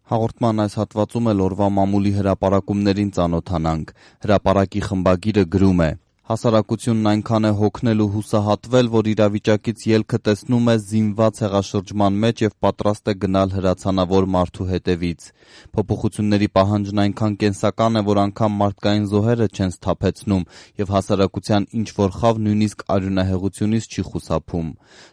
Հաղորդման այս հատվածում էլ օրվա մամուլի հրապարակումներին ծանոթանանք։ Հրապարակի խմբագիրը գրում է. Հասարակությունն այնքան է հոգնել ու հուսահատվել, որ իրավիճակից ելքը տեսնում է զինված հեղաշրջման մեջ և պատրաստ է գնալ հրացանավոր մարդու հետևից։ Փոփոխությունների պահանջն այնքան կենսական է, որ անգամ մարդկային զոհերը չեն սթափեցնում, և հասարակության ինչ-որ խավ նույնիսկ արյունահեղությունից չի խուսափում։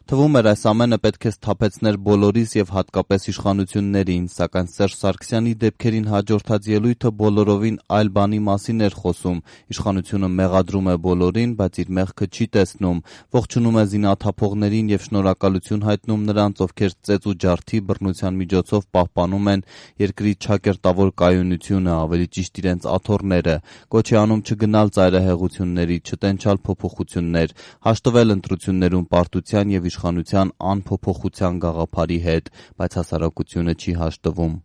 Թվում էր, այս ամենը պետք է սթափեցներ բոլորիս և հատկապես իշխանություններին, սակայն Սերժ Սարգսյանի դեպքերին հաջորդած ելույթը բոլորովին այլ բանի մասին էր խոսում։ Իշխանությունը մեղադրում է բոլորին, բայց իր մեղքը չի տեսնում, ողջունում է զինաթափողներին և շնորհակալություն հայտնում նրանց, ովքեր ծեծ ու ջարդի բռնության միջոցով պահպանում են երկրի չակերտավոր կայունությունը, ավելի ճիշտ իրենց աթոռները, կոչ է անում չգնալ ծայրահեղությունների, չտենչալ փոփոխություններ, հաշտվել ընտրություններում պարտության և իշխանության անփոփոխության գաղափարի հետ, բայց հասարակությունը չի հաշտվում։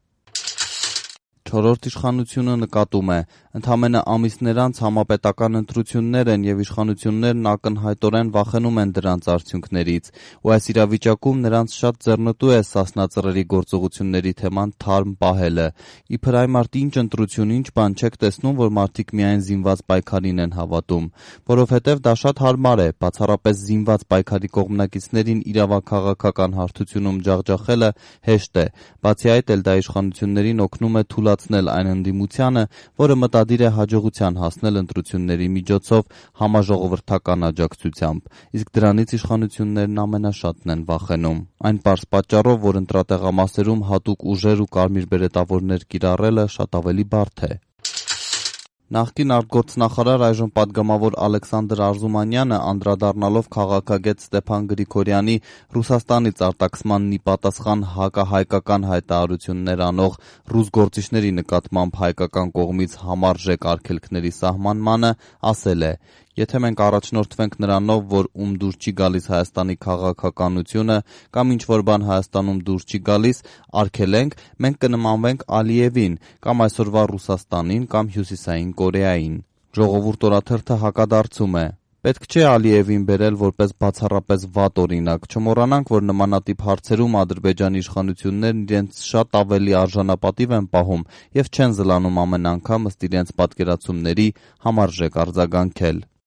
Չորրորդ իշխանությունը նկատում է. ընդամենը ամիսներ անց համապետական ընտրություններ են և իշխանություններն ակնհայտորեն վախենում են դրանց արդյունքներից, ու այս իրավիճակում նրանց շատ ձեռնտու է Սասնա Ծռերի գործողությունների թեման թարմ պահելը։ Իբր այ մարդ ինչ ընտրություն, ինչ բան, չեք տեսնում, որ մարդիկ միայն զինված պայքարին են հավատում, որովհետև դա շատ հարմար է, բացառապես զինված պայքարի կողմնակիցներին իրավաքաղաքական հարթությունում ջախջախելը հեշտ է, բացի այդ էլ դա իշխանություններին օգնում է թուլացնել այն ընդդիմությանը, որը մտադիր է հաջողության հասնել ընտրությունների միջոցով համաժողովրդական աջակցությամբ, իսկ դրանից իշխանություններն ամենաշատն են վախենում։ Այն պարզ պատճառով, որ ընտրատեղամասերում հատուկ ուժեր ու կարմիր բերետավորներ կիրառելը շատ ավելի բարդ է։ Նախկին արտգործնախարար, այժմ պատգամավոր Ալեքսանդր Արզումանյանը, անդրադառնալով քաղաքագետ Ստեփան Գրիգորյանի Ռուսաստանից արտաքսմանն ի պատասխան հակահայկական հայտարարություններ անող ռուս գործիչների նկատմամբ հայկական կողմից համարժեք արգելքների սահմանմանը, ասել է. «Եթե մենք առաջնորդվենք նրանով, որ ում դուր չի գալիս Հայաստանի քաղաքականությունը կամ ինչ-որ բան Հայաստանում դուր չի գալիս, արգելենք, մենք կնմանվենք Ալիևին կամ այսօրվա Ռուսաստանին կամ Հյուսիսային Կորեային»։ Ժողովուրդ օրաթերթը հակադարձում է. «Պետք չէ Ալիևին բերել որպես բացառապես վատ օրինակ, չմոռանանք, որ նմանատիպ հարցերում Ադրբեջանի իշխանություններն իրենց շատ ավելի արժանապատիվ են պահում և չեն զլանում ամեն անգամ ըստ իրենց պատկերացումների համարժեք արձագանքել»։